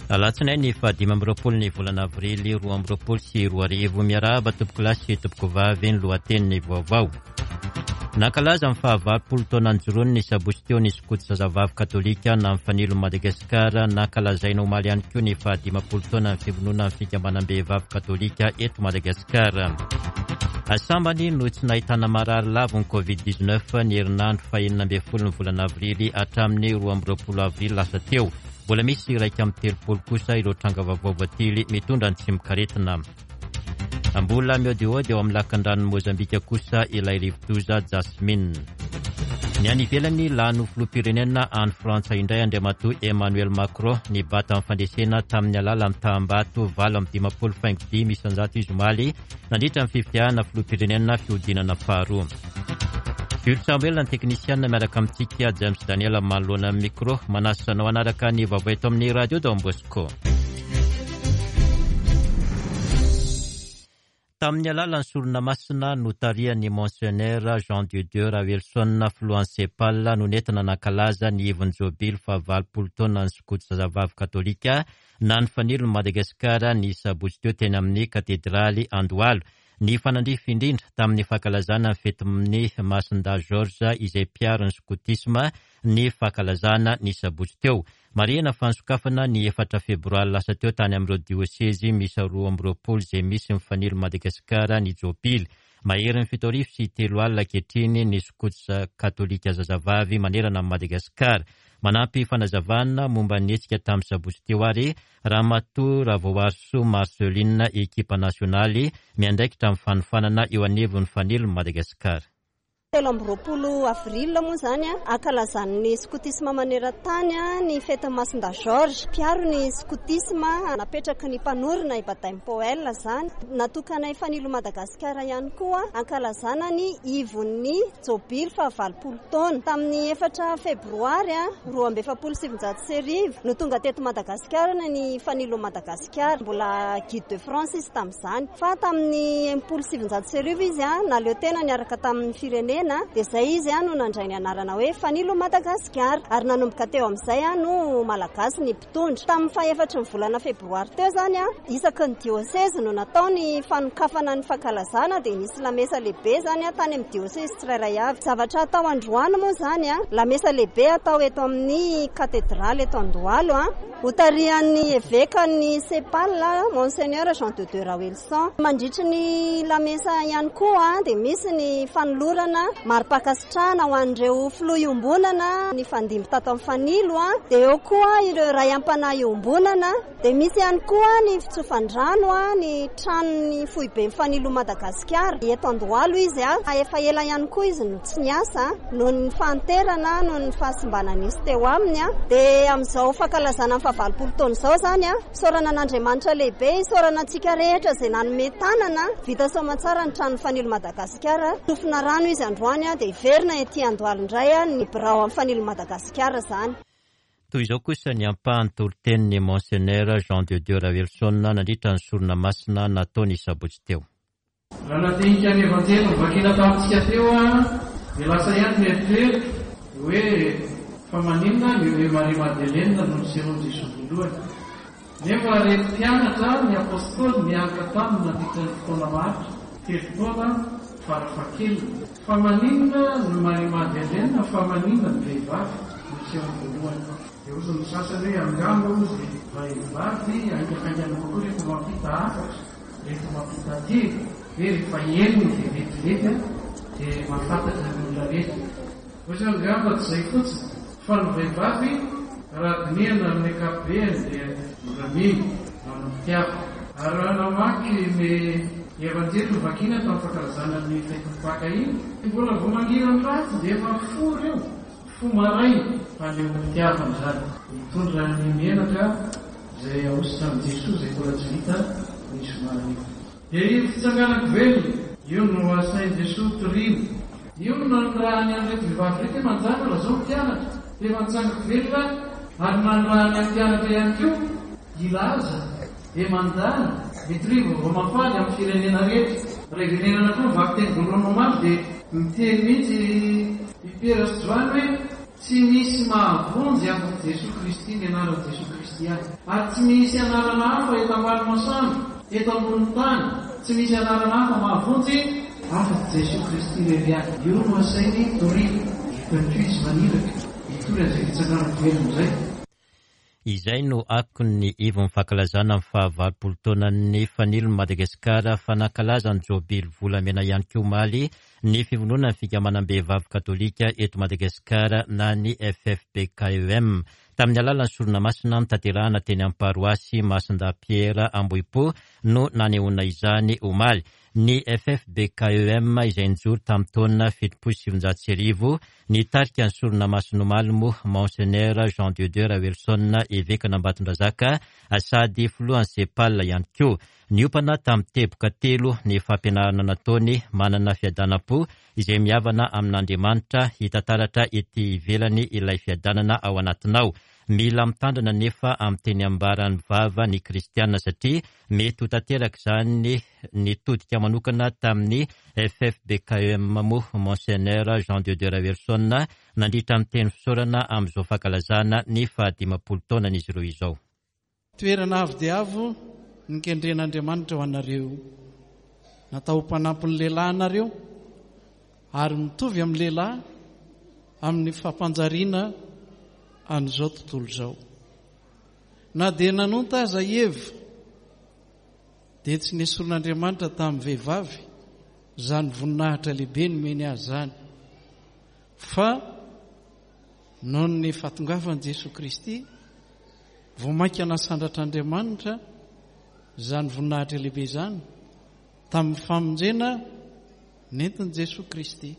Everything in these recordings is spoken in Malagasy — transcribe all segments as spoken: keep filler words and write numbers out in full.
Alatsinainy fahadimy amby roapolo ny volana avrily roa amby roapolo sy roa arivo. Miarahaba tompokolahy sy tompokovavy, ny lohatenin'ny vaovao. Nankalaza ny fahavalopolo taona nijoroany ny sabotsy teo ny skoto zazavavy katolika na ny Fanilo Madagasikara. Nankalazaina omaly ihany koa ny fahadimampolo taona ny fivononan'ny fikambanam-behivavy katolika eto Madagasikara. Sambany no tsy nahitana marary lavo ny covid dix-neuf ny herinandro fahenina ambin'ny folo ny volana avrily hatramin'ny roa amby roapolo avrily lasa teo. Mbola misy iraika amby telopolo kosa ireo tranga vaovao voatily mitondra ny tsimokaretina. Mbola miodiody eo amin'ny lakandranon'i Mozambika kosa ilay rivodoza Jasmine. Ny any ivelany, lany ho filoham-pirenena any Frantsa indray Andriamatoa Emmanuel Macron nibata amin'ny fandresena tamin'ny alalan'ny taham-bato valo amby dimampolo faingo dimy isanjato izy omaly nandritra ny fifidianana filoham-pirenena fihodinana faharoa. Jules Samuel ny teknisiana miaraka amintsika James Daniel manoloana ny micro manasa anao hanaraka ny vaovao eto amin'ny radio Don Bosco. Tamin'ny alalan'ny sorona masina notarihan'ny Monseigneur Jean de Dieu Ravelison filohan'ny Sepal no nentina nankalaza ny ivon'ny jobily fahavalopolo taona ny skoto zazavavy katolika na ny Fanilon'i Madagasikara ny sabotsy teo teny amin'ny katedraly Andohalo. Ny fanandrify indrindra tamin'ny fankalazana ny fetin'ny Masindahy Georges izay mpiaro ny skotisma ny fankalazana ny sabotsy teo. Marihina fa nisokafana ny efatra febroary lasa teo tany amin'ireo diosezy miisa roa amby roapolo izay misy ny Fanilo Madagasikara ny jobily. Maherin'ny fito arivo sy telo alina ankehitriny ny skoto katolika zazavavy manerana amin'i Madagasikara. Manampy fanazavana momba ny hetsika tamin'ny sabotsy teo ary Ramatoa Ravoarisoa Marceline, ekipa nasionaly miandraikitra amin'ny fanofanana eo anivon'ny Fanilo Madagasikara. Telo amby roapolo avril moa izany ankalazan'ny skotisma maneran-tany ny fetin'ny Masindahy Georges. Mpiaro ny skotisma napetraky ny mpanorina i Baden Powell izany. Natokanay Fanilo Madagasikara ihany koa ankalazana ny ivon'ny jobily fahavalopolo taona. Tamin'ny efatra febroary roa amby efapolo sy sivinjato sy arivo no tonga teto Madagasikara ny Fanilo Madagasikara. Mbola guide de France izy tamin'izany. Fa tamin'ny enimpolo sy sivinjato sy arivo izy naleo tena niaraka tamin'ny firenena dia izay izy no nandray ny anarana hoe Fanilo Madagasikara ary nanomboka teo amin'izay no malagasy ny mpitondra. Tamin'ny fahefatry ny volana febroary teo izany isaky ny diosezy no natao ny fanokafana ny fankalazana dia nisy lamesa lehibe izany tany amin'ny diosezy tsirairay avy. Zavatra atao androany moa izany lamesa lehibe atao eto amin'ny katedraly eto Andohalo hotarihan'ny evekan'ny Sepal Monseigneur Jean de Dieu Ravelison. Mandritry ny lamesa ihany koa dia misy ny fanolorana mari-pankasitrahana ho an'ireo filoha iombonana ny fandimby tato amin'ny Fanilo dia eo koa ireo ray am-panahy iombonana dia misy ihany koa ny fitsofan-drano ny tranon'ny foibe Fanilo Madagasikara eto Andohalo izy efa ela ihany koa izy no tsy niasa noho ny fahanterana noho ny fahasimbana nisy teo aminy dia amin'izao fankalazana ny fahavalopolo taona izao izany isaorana an'Andriamanitra lehibe, isaorana antsika rehetra izay nanome tanana vita soamantsara ny tranon'ny Fanilo Madagasikara. Tsofina rano izy androany dia hiverina ety Andohalo indray ny birao amin'ny Fanilo Madagasikara izany. Toy izao kosa ny ampahany toritenin'ny Monseigneur Jean de Dieu Ravelison nandritra ny sorona masina nataony sabotsy teo. Raha nandinika ny evanjely novakina tamintsika teo dia lasa ihany ny eritreritra hoe fa maninona ny Maria Magdalena no nisehoan'i Jesoa voalohany. Nefa reto mpianatra ny apôstôly niaraka taminy nandritra ny fotoana maharitra telo taona farafahakeliny. Fa maninona ny Maria Magdalena, fa maninona ny vehivavy no nisehoany voalohany. Dia hozy ny sasany hoe angamba hozy vehivavy haingankaingana kokoa rehefa mampita hafatra, rehefa mampita teny, hoe rehefa henony dia vetivety dia mahafantatra ny olona rehetra. Hozy angamba tsy izay fotsiny fa ny vehivavy raha dinihana amin'ny ankapobeny dia mora mino, manam-pitiavana. Ary raha namaky ny evanjely novakina tamin'ny fankalazana ny fetin'ny Paka iny, mbola vao mangirany ratsy dia efa mifoha ireo, mifoha maraina fanehoam-pitiavana izany. Mitondra ny menaka izay ahosotra amin'i Jesoa izay mbola tsy vita ny zoma hariva. Dia io fitsanganako velona, io no asain'i Jesoa toriana. Io no nanirahany an'ireto vehivavy ireto hoe manjaka lazao ny mpianatra. Dia efa nitsangako velona ary nanirahany an'ny mpianatra ihany koa hilaza dia mandany mitoria vaovao mahafaly amin'ny firenena rehetra. Raha iverenana koa ny vakiteny voalohany omaly dia miteny mihitsy i Piera sy Joany hoe Tsy misy mahavonjy afa-tsy Jesoa Kristy, ny anaran'i Jesoa Kristy ihany. Ary tsy misy anarana hafa eto ambany masoandro, eto ambonin'ny tany, tsy misy anarana hafa mahavonjy afa-tsy Jesoa Kristy irery ihany. Io no asainy toriana. Eto ihany koa izy maniraka hitory an'izay fitsanganana velona izay. Izay no akon'ny ivon'ny fankalazana ny fahavalopolo taonan'ny Fanilon'i Madagasikara, fa nankalaza ny jobily volamena ihany koa omaly ny fivondronan'ny fikambanam-behivavy katolika eto Madagasikara na ny F F B K E M. Tamin'ny alalan'ny sorona masina notanterahina teny amin'ny paroasy Masindahy Pierre Ambohipo no nanehoana izany omaly. Ny F F B K E M izay nijoro tamin'ny taona fitopolo sy sivinjato sy arivo, nitarika ny sorona masina omaly moa Monseigneur Jean de Dieu Raoelison, evekan'Ambatondrazaka sady filohan'ny SEPAL ihany koa. Niompana tamin'ny teboka telo ny fampianarana nataony, manana fiadanam-po izay mihavana amin'Andriamanitra, hita taratra ety ivelany ilay fiadanana ao anatinao. Mila mitandrina nefa amin'ny teny ambaran'ny vava ny kristiana satria mety ho tanteraka izany. Nitodika manokana tamin'ny F F B K E M moa Monseigneur Jean de Dieu Raoelison nandritra ny teny fisaorana amin'izao fankalazana ny fahadimampolo taonan'izy ireo izao. Toerana avo dia avo nikendren'Andriamanitra ho anareo. Natao ho mpanampy ny lehilahy anareo ary mitovy amin'ny lehilahy amin'ny fampanjariana an'izao tontolo izao. Na dia nanonta aza i Eva dia tsy nesorin'Andriamanitra tamin'ny vehivavy izany voninahitra lehibe nomeny azy izany, fa noho ny fahatongavan'i Jesoa Kristy vao mainka nasandratr'Andriamanitra izany voninahitra lehibe izany tamin'ny famonjena nentin'i Jesoa Kristy.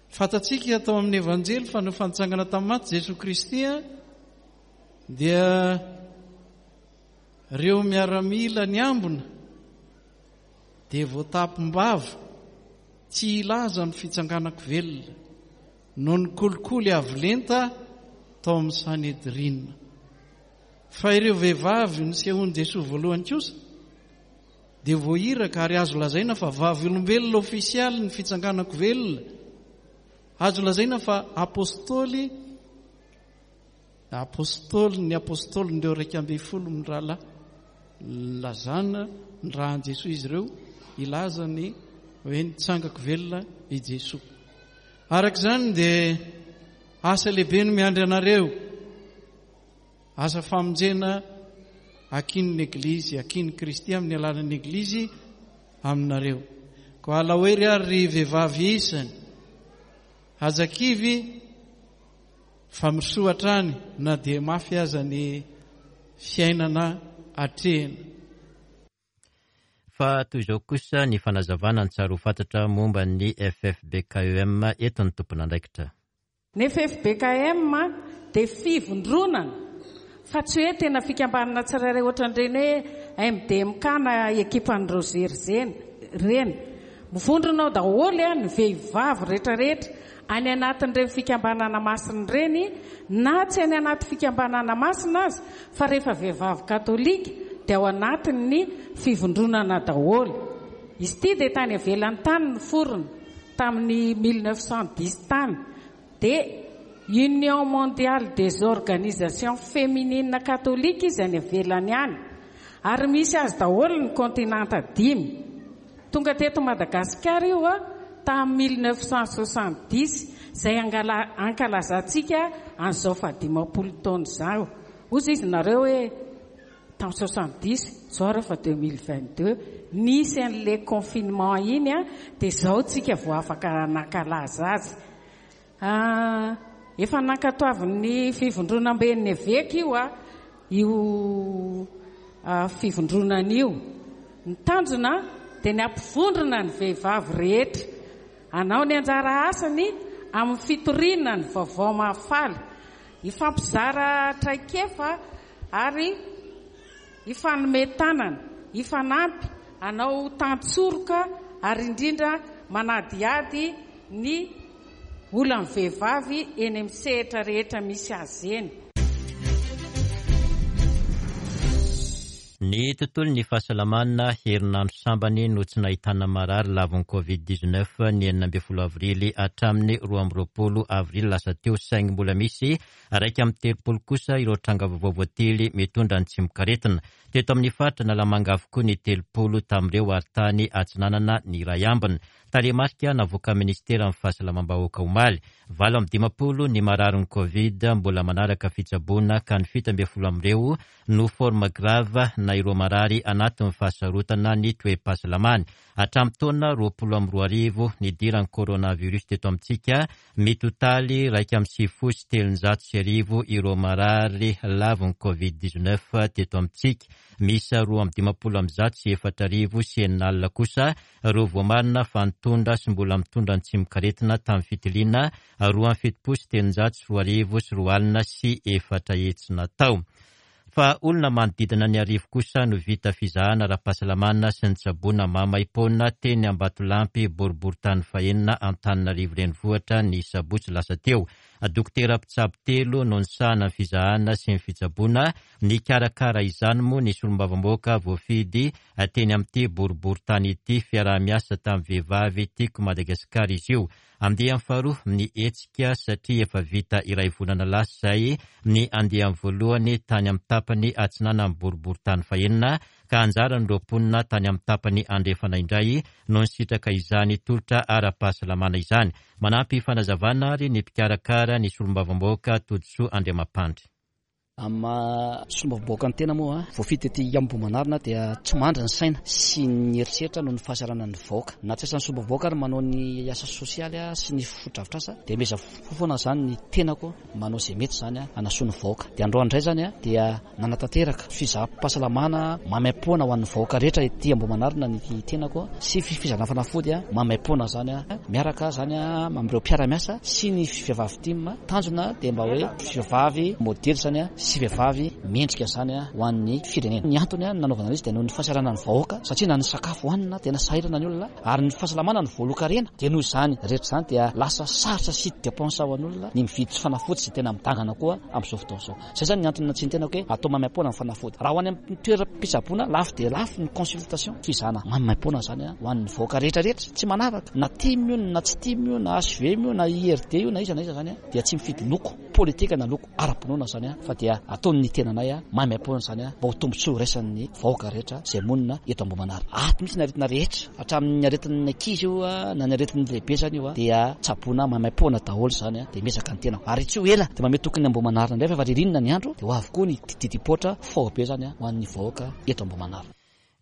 Fantatsika tao amin'ny Evanjely fa no fantsangana tamin'ny maty Jesoa Kristy dia ireo miaramila niambina dia voatapim-bava tsy hilaza ny fitsanganako velona noho ny kolikoly avo lenta tao amin'ny Sanedrina. Fa ireo vehivavy nisehoan'i Jesoa voalohany kosa dia voahiraka ary azo lazaina fa vavolombelona ofisialy ny fitsanganako velona. Azo lazaina fa apôstôly, apôstôly ny apôstôlin'ireo iraika ambin'ny folo mirahalahy nilazana ny rahan'i Jesoa izy ireo, hilaza ny hoe nitsangako velona i Jesoa. Araka izany dia asa lehibe no miandry anareo, asa famonjena akin'ny Eglizy, akin'i Kristy amin'ny alalan'ny Eglizy aminareo. Koa alao hery ary ry vehivavy isany, aza kivy fa mirosoa hatrany na dia mafy aza ny fiainana atrehina. Fa toy izao kosa ny fanazavana ny tsara ho fantatra momba ny F F B K E M eto ny tompon'andraikitra. Ny F F B K M dia fivondronana fa tsy hoe tena fikambanana tsirairay ohatran'ireny hoe M D M K na ekipan'ny Roger ireny. Mivondrona ao daholo a ny vehivavy rehetrarehetra any anatin'ireny fikambanana masina ireny, na tsy any anaty fikambanana masina aza, fa rehefa vehivavy katolika dia ao anatin'ny fivondronana daholo. Izy ity dia tany ivelany tany ny forona tamin'ny mille neuf cent dix tany, dia Union mondiale des organisations féminines catholiques izy any ivelany any, ary misy azy daholo ny kontinanta dimy. Tonga teto Madagasikara io a tamin'ny mille neuf cent soixante-dix, izay angala-, ankalazantsika an'izao fahadimampolo taona izao. Hoy izy nareo hoe tamin'ny soixante-dix, izao rehefa deux mille vingt-deux, nisy an'ilay confinement iny a, dia izao tsika vao afaka nankalaza azy. Ah, efa nankatoavin'ny fivondronamben'ny eveka io a, io, ah, fivondronana io. Ny tanjona dia ny hampivondrona ny vehivavy rehetra hanao ny anjara asany amin'ny fitoriana ny vaovao mahafaly, hifampizara traikefa ary hifanome tanana, hifanampy, hanao tantsoroka ary indrindra manadihady ny olan'ny vehivavy eny amin'ny sehatra rehetra misy azy eny. Ny tontolon'ny fahasalamana, herinandro sambany no tsy nahitana marary lavon'ny covid dix-neuf ny enina ambin'ny folo avrily hatramin'ny roa amby roapolo avrily lasa teo, saingy mbola misy iraika amby telopolo kosa ireo tranga vaovao voatily mitondra ny tsimokaretina. Teto amin'ny faritra Analamanga avokoa ny telopolo tamin'ireo ary tany Atsinanana ny iray ambiny. Tarehimarika navoaka ministeran'ny fahasalamam-bahoaka omaly. Valo amby dimampolo ny mararin'ny covid mbola manaraka fitsaboana ka ny fito ambin'ny folo amin'ireo no forme grave na ireo marary anatin'ny fahasarotana ny toe-pahasalamany. Hatramin'ny taona roapolo amby roa arivo nidiran'ny coronavirus teto amintsika, mitotaly iraika amby sivifolo sy telonjato sy arivo ireo marary lavon'ny covid dix-neuf teto amintsika. Miisa roa amby dimampolo amby zato sy efatra arivo sy enina alina kosa ireo voamarina fa nitondra sy mbola mitondra ny tsimokaretina tamin'ny fitiliana roa amby fitopolo sy telonjato sy roa arivo sy roa alina sy efatra hetsy natao. Fa olona manodidina ny arivo kosa no vita fizahana ara-pahasalamana sy nitsaboana maimaimpoana teny Ambatolampy boriborintany fahenina Antananarivo renivohitra ny sabotsy lasa teo. Dokotera mpitsabo telo no nisahana ny fizahana sy ny fitsaboana. Nikarakara izany moa ny solombavambahoaka voafidy teny amin'ity boriborintany ity, fiaraha-miasa tamin'ny vehivavy Tiako Madagasikara izy io. Andiany faharoa ny hetsika satria efa vita iray volana lasa izay ny andiany voalohany tany amin'ny tapany atsinanan'ny boriborintany fahenina ka anjaran'ireo mponina tany amin'ny tapany andrefana indray no nisitraka izany tolotra ara-pahasalamana izany. Manampy fanazavana ary ny mpikarakara ny solombavambahoaka Todisoa Andriamampandry. Amin'ny maha solombavambahoaka ny tena moa, voafidy tety Ambohimanarina dia tsy mandry ny saina sy ny eritreritra noho ny fahasahiranan'ny vahoaka. Na tsy asan'ny solombavambahoaka ary manao ny asa sosialy sy ny fotodrafitrasa dia miezaka foana izany ny tenako manao izay mety izany hanasoa ny vahoaka. Dia androany indray izany dia nanatanteraka fizaham-pahasalamana maimaimpoana ho an'ny vahoaka rehetra ety Ambohimanarina ny tenako sy fizahana fanafody maimaimpoana izany miaraka izany amin'ireo mpiara-miasa sy ny vehivavy tim. Tanjona dia mba hoe vehivavy modely izany sy vehivavy mendrika izany ho an'ny firenena. Ny antony nanaovana izy dia noho ny fahasahiranan'ny vahoaka satria na ny sakafo hohanina tena sahirana ny olona ary ny fahasalamana ny voalohan-karena. Dia noho izany rehetra izany dia lasa sarotra sy dépense ho an'olona ny mividy fanafody izay tena midangana koa amin'izao fotoana izao. Izay izany ny antony natsiany tenako hoe atao maimaimpoana ny fanafody. Raha ho any amin'ny toeram-pitsaboana lafo dia lafo ny consultation, fizahana maimaimpoana izany ho an'ny vahoaka rehetra rehetra tsy manavaka na tim io na tsy tim io na H V M io na I R D io na iza na iza izany dia tsy mifidy loko politika na loko ara-pinoana izany fa dia ataon'ny tenanay maimaimpoana izany mba ho tombontsoa iraisan'ny vahoaka rehetra izay monina eto Ambohimanarina. Ato mihitsy ny aretina rehetra hatramin'ny aretin'ny ankizy io na ny aretin'ny lehibe izany io dia tsaboina maimaimpoana daholo izany dia miezaka ny tenako. Ary tsy ho ela dia mamehy tokony Ambohimanarina indray fa efa ririnina ny andro dia ho avy koa ny didipoitra faobe izany ho an'ny vahoaka eto Ambohimanarina.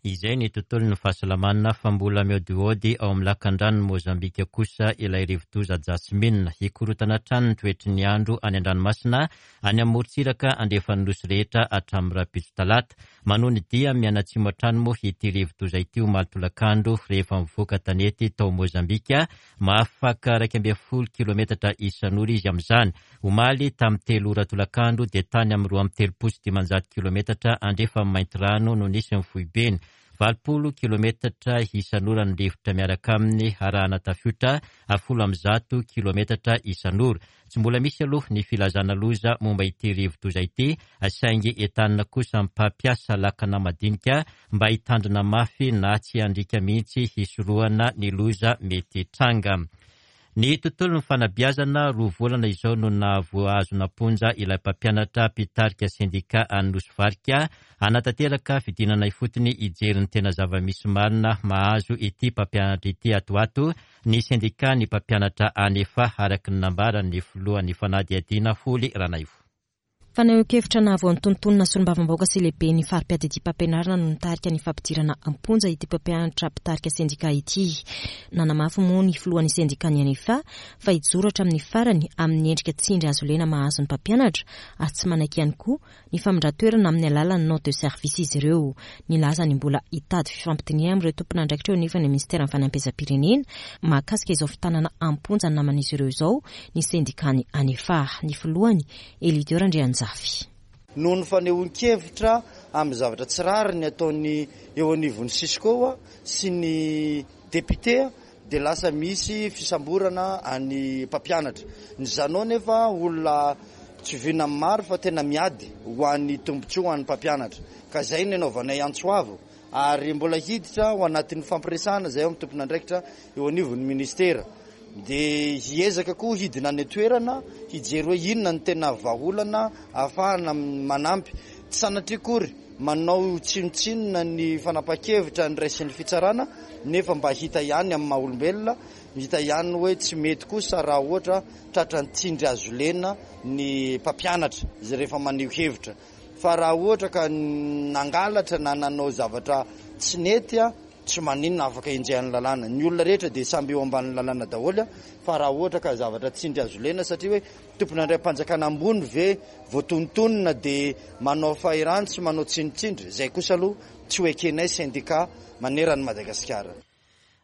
Izay ny tontolon'ny fahasalamana fa mbola miodiody ao amin'ny lakandranon'i Mozambika kosa ilay rivodoza Jasmine. Hikorotana hatrany ny toetry ny andro any an-dranomasina any amin'ny morontsiraka andrefan'ny nosy rehetra hatramin'ny rahampitso talata. Manohy ny dia mianatsimo hatrany moa ity rivodoza ity omaly tolakandro rehefa mivoaka tanety tao Mozambika. Mahafaka iraika ambin'ny folo kilometatra isan'ora izy amin'izany. Omaly tamin'ny telo ora tolakandro dia tany amin'ny roa amby telopolo sy dimanjato kilometatra andrefan'ny Maintirano no nisy ny foibeny. Valopolo kilometatra isan'ora ny rivotra miaraka aminy arahana tafiotra folo amby zato kilometatra isan'ora. Tsy mbola misy aloha ny filazana loza momba ity rivodoza ity, saingy entanina kosa ny mpampiasa lakana madinika mba hitandrina mafy na tsy handriaka mihitsy hisorohana ny loza mety hitranga. Ny tontolon'ny fanabeazana, roa volana izao no nahavoazona am-ponja ilay mpampianatra mpitarika sendika any Nosy Varika hanatanteraka fidinana ifotony hijery ny tena zava-misy marina mahazo ity mpampianatra ity ato ato ny sendika ny mpampianatra anefa araka ny nambaran'ny filohan'ny fanadihadiana Holy Ranaivo. Fanehoan-kevitra nahavoantontonona solombavambahoaka sy lehibe ny fari-piadidiam-pampianarana no nitarika ny fampidirana am-ponja ity mpampianatra mpitarika sendika ity. Nanamafy moa ny filohan'ny sendika ny anefa fa hijoro hatramin'ny farany amin'ny endrika tsindry azo lena mahazo ny mpampianatra ary tsy manaiky ihany koa ny famindran-toerana amin'ny alalan'ny note de service izy ireo. Nilaza ny mbola hitady fifampidinihana amin'ireo tompon'andraikitra eo anefa ny ministeran'ny fanabeazam-pirenena mahakasika izao fitanana am-ponja ny naman'izy ireo izao ny sendikany anefa. Ny filohany Elidior Andrianjafy. Noho ny fanehoan-kevitra amin'ny zavatra tsy rariny ataon'ny eo anivon'ny Cisco sy ny député dia lasa misy fisamborana any mpampianatra. Ny zanao nefa olona Tsy vina amin'ny maro fa tena miady ho an'ny tombontsoa ho an'ny mpampianatra. Ka izay no anaovanay antso avo ary mbola hiditra ho anatin'ny fampiresahana izay ao amin'ny tompon'andraikitra eo anivon'ny ministera. Dia hiezaka koa hidina any an-toerana hijery hoe inona no tena vahaolana ahafahana manampy. Tsy sanatria akory manao tsinontsinona ny fanapahan-kevitra niraisin'ny fitsarana nefa mba hita ihany amin'ny maha olombelona, hita ihany hoe tsy mety kosa raha ohatra tratra ny tsindry azo lena ny mpampianatra izay rehefa maneho hevitra. Fa raha ohatra ka nangalatra na nanao zavatra tsy nety, tsy maninona, afaka enjehan'ny lalàna. Ny olona rehetra dia samby eo ambanin'ny lalàna daholo, fa raha ohatra ka zavatra tsindry azo lena satria hoe tompon'andraikim-panjakana ambony ve voatonontonona dia manao fahirano sy manao tsindritsindry, izay kosa aloha tsy ho ekenay sendika maneran'i Madagasikara.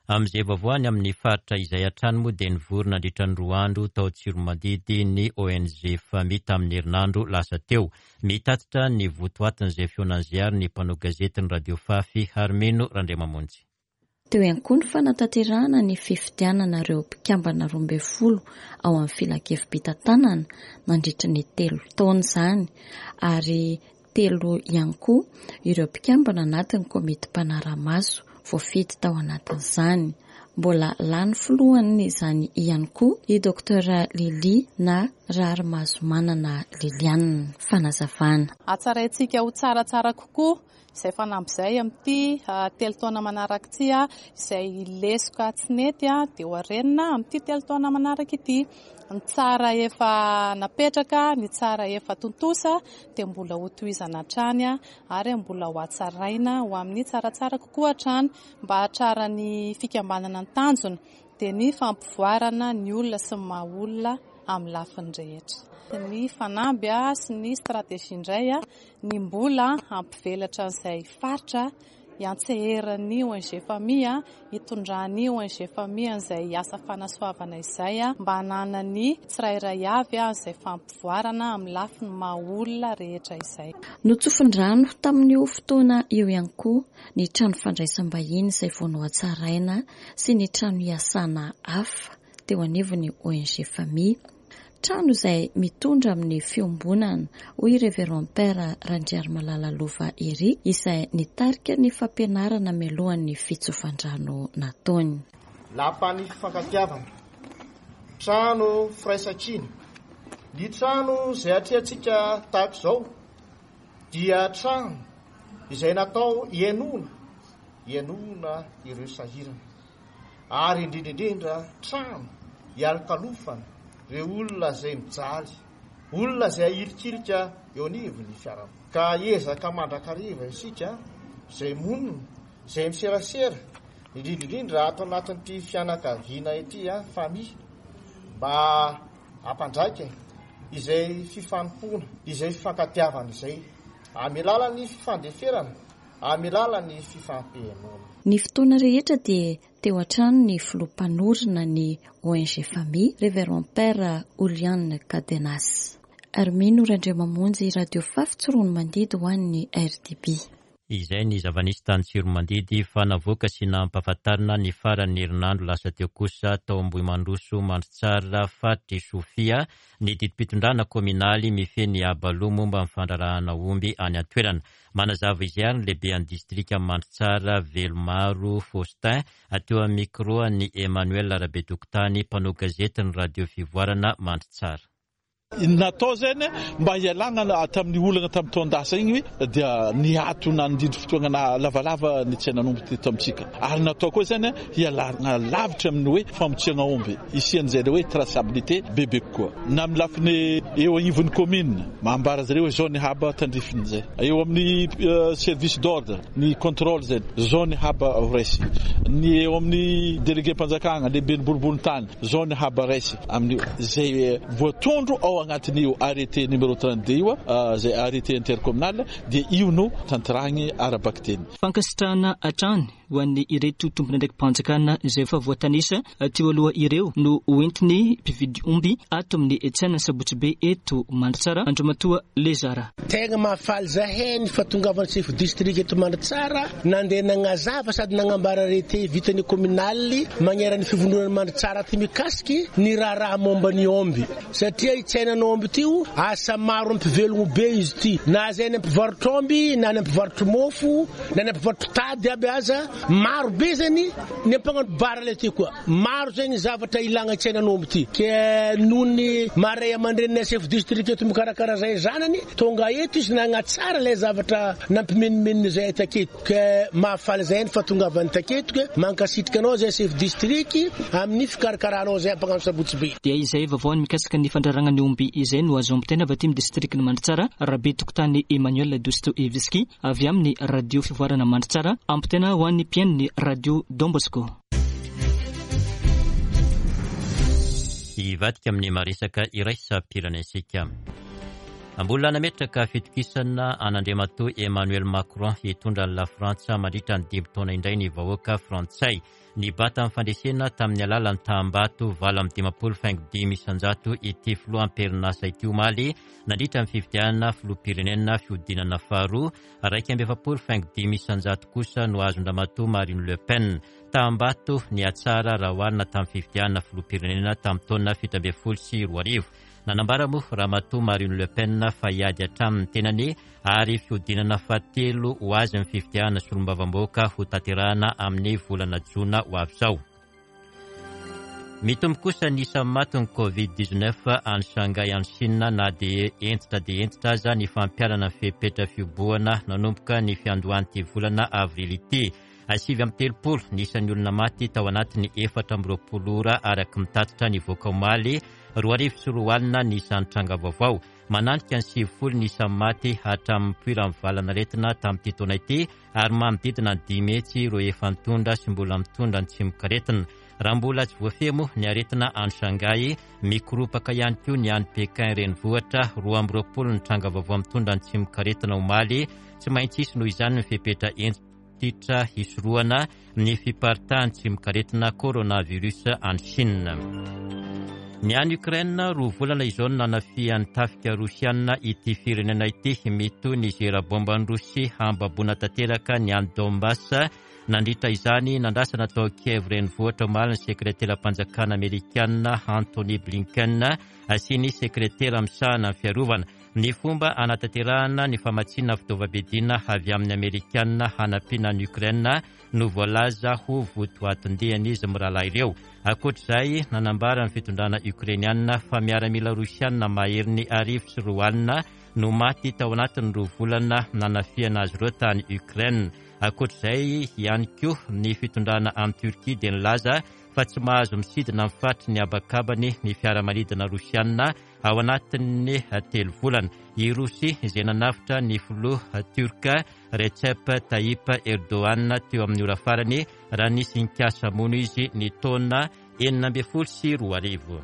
Amin'izay vaovao any amin'ny faritra izay hatrany moa dia nivory nandritra ny roa andro tao Tsiromandidy ny O N G Fami tamin'ny herinandro lasa teo. Mitatitra ny votoatin'izay fihaonan'izay ary ny mpanao gazety ny Radio Fafy Harmeno Randriamamonjy. Teo ihany koa ny fanatanterahana ny fifidianana ireo mpikambana roa ambin'ny folo ao amin'ny filankevi-pitantanana nandritra ny telo taona izany ary telo ihany koa ireo mpikambana anatin'ny komity mpanara-maso voafidy tao anatin'izany. Mbola lany filohany izany ihany koa i Docteur Lily na Raharimahazomanana Liliane. Fanazavana. Hatsaraintsika ho tsaratsara kokoa izay fanamby izay amin'ity telo taona manaraka ity, izay lesoka tsy nety dia ho arenina amin'ity telo taona manaraka ity. Ny tsara efa napetraka, ny tsara efa tontosa dia mbola ho tohizana hatrany ary mbola ho hatsaraina ho amin'ny tsaratsara kokoa hatrany mba hahatraran'ny fikambanana ny tanjona dia ny fampivoarana ny olona sy ny maha olona amin'ny lafiny rehetra. Ny fanamby sy ny stratégie indray ny mbola hampivelatra an'izay faritra iantseheran'ny O N G Fami, hitondran'ny O N G Fami an'izay asa fanasoavana izay mba hananany tsirairay avy an'izay fampivoarana amin'ny lafiny maha olona rehetra izay. Notsofin-drano tamin'io fotoana io ihany koa ny trano fandraisam-bahiny izay vao nohatsaraina sy ny trano hiasana hafa teo anivon'ny O N G Fami. Trano izay mitondra amin'ny fiombonana, hoy Révérend Père Randriarimalala Lova Eric, izay nitarika ny fampianarana mialohan'ny fitsofan-drano nataony. Lapan'ny fifankatiavana, trano firaisankina. Ny trano izay atrehantsika tahaka izao dia trano izay natao hihainoana, hihainoana ireo sahirana. Ary indrindra indrindra trano hialokalofana ireo olona izay mijaly, olona izay ahilikilika eo anivon'ny fiarahamonina. Ka ezaka mandrakariva isika izay monina, izay miserasera, indrindra indrindra ato anatin'ity fianakaviana ity, famille, mba hampandraika izay fifanompoana, izay fifankatiavana izay, amin'ny alalan'ny fifandeferana, amin'ny alalan'ny fifampihenoana. Ny fotoana rehetra dia teo hatrany ny filoha mpanorina ny O N G Fami, Révérend Père Julian Cadenas. Armino Randriamamonjy, Radio Fafy Tsiroanomandidy ho an'ny R D B. Izay ny zava-nisy tany Tsiroanomandidy fa navoaka sy nampahafantarina ny faran'ny herinandro lasa teo kosa tao Ambohimandroso Mandritsara faritry Sofia ny didim-pitondrana kominaly mifehy ny abaloha momba ny fandraharahana omby any an-toerana. Manazava izay ary ny lehiben'ny distrika Mandritsara Velomaro Faustin teo amin'ny micro an'i Emmanuel Rabetokotany mpanao gazety ny Radio Fivoarana Mandritsara. Natao zany mba hialana tamin'ny olana tamin'ny taon-dasa igny dia niato nandidy fotoana lavalava ny tsenanomby teto amintsika. Ary natao koa zany hialana lavitra amin'ny hoe famotsiana omby, isian'izay le hoe traçabilité bebe kokoa. Na amin'ny lafiny eo anivon'ny commune, mambara zareo hoe zao ny haba tandrifin'izay. Eo amin'ny, euh, service d'ordre, ny contrôle zay, zao ny haba raisy. Ny eo amin'ny délégué mpanjakana, lehiben'ny boriborintany, zao ny haba raisy amin'ny zay voatondro ao agnatin'io arrêté numéro trente-deux io, euh, zay arrêté intercommunal, dia io no tanterahiny ara-bakiteny. Fankasitrahana hatrany ho an'ny ireto tompon'andraiki-panjakana izay efa voatanisa teo aloha ireo no hoentiny mpividy omby ato amin'ny tsena Sabotsy Be eto Mandritsara, Andriamatoa Lezara. Tegna mahafaly zahay ny fahatongavan'ny chef district eto Mandritsara, nandeha nagnazava sady nagnambara arrêté vitany communal magneran'ny fivondronana Mandritsara ty mikasiky ny raharaha momba ny omby, satria i tsenan'omby ty asa maro mpivelogno be izy ty, na zay ny mpivarotra omby, na ny mpivarotra mofo, na ny mpivarotra tady aby aza maro be zany ny mpagnano bara le ty koa maro zany zavatra ilagna tsenan'omby ty. Ke noho ny maray aman-dreniny chef district eto mikarakara zay zanany tonga eto izy nagnatsara le zavatra nampimenimeniny zay taketo, ke mahafaly zay ny fahatongavany taketo, ke mankasitrika anao zay chef district amin'ny fikarakaranao zay mpagnano Sabotsy Be. Dia izay vaovao mikasika ny fandraragna ny omby izay no azo ampitaina avy aty amin'ny district ny Mandritsara. Rabe Tokotany Emmanuel Dostoevsky avy amin'ny Radio Fivoarana Mandritsara, ampitaina ho an'ny mpihaino ny Radio Don Bosco. Hivadika amin'ny maresaka iraisam-pirenena. Mbola nametraka fitokisana an'Andriamatoa Emmanuel Macron hitondra ny La Frantsa mandritra ny dimy taona indray ny vahoaka frantsay. Nibata amin'ny fandresena tamin'ny alalan'ny tahambato valo amby dimampolo faingo dimy isanjato ity filoham-perinasa ity omaly nandritra ny fifidianana filoham-pirenena fihodinana faharoa, iraika amby efapolo faingo dimy isanjato kosa no azon-dRamatoa Marine Le Pen. Tahambato nihatsara raha oharina tamin'ny fifidianana filoham-pirenena tamin'ny taona fito ambin'ny folo sy roa arivo. Nanambara moa Ramatoa Marine Le Pen fa hiady hatramin'ny tenany ary fihodinana fahatelo ho azy amin'ny fifidianana solombavambahoaka ho tanterahana amin'ny volana jona ho avy izao. Mitombo kosa ny isan'ny matin'ny covid dix-neuf any Shanghai any Chine, na dia hentitra dia hentitra aza ny fampiharana ny fepetra fihobohana nanomboka ny fiandohan'ity volana avrily ity. Sivy amby telopolo ny isan'ny olona maty tao anatin'ny efatra amby roapolo ora araka ny tatitra nivoaka omaly, roa arivo sy roa alina ny isan'ny tranga vaovao. Mananika ny sivifolo ny isan'ny maty hatramin'ny nipoiran'ny valanaretina tamin'ity taona ity ary manodidina ny dimy hetsy ireo efa nitondra sy mbola mitondra ny tsimokaretina. Raha mbola tsy voafehy moa ny aretina any Shanghai, mikoropaka ihany koa ny any Pékin renivohitra, roa amby roapolo ny tranga vaovao mitondra ny tsimokaretina omaly. Tsy maintsy hisy noho izany ny fepetra hentitra hisorohana ny fiparitahan'ny tsimokaretina coronavirus any Chine. Ny any Ukraine, roa volana izao no nanafihan'ny tafika rosiana ity firenena ity. Mitohy ny zera bomban'i Rosia hambaboana tanteraka ny any Donbass. Nandritra izany, nandrasana tao Kiev renivohitra omaly ny sekreteram-panjakana amerikana Antony Blinken sy ny sekretera misahana ny fiarovana. Ny fomba anatanterahana ny famatsiana fitaovam-piadiana avy amin'ny amerikana hanampiana ny Ukraine no voalaza ho votoatin-dian'izy mirahalahy ireo. Ankoatr'izay, nanambara ny fitondrana ukrainiana fa miaramila rosiana maherin'ny arivo sy roa alina no maty tao anatin'ny roa volana nanafihana azy ireo tany Ukraine. Ankoatr'izay ihany koa, ny fitondrana any Turquie dia nilaza fa tsy mahazo misidina amin'ny faritry ny habakabany ny fiaramanidina rosiana ao anatin'ny telo volana. I Rosia izay nanafitra ny filoha turka Recep Tayyip Erdogan teo amin'ny ora farany raha nisy nikasa hamono izy ny taona enina ambin'ny folo sy roa arivo.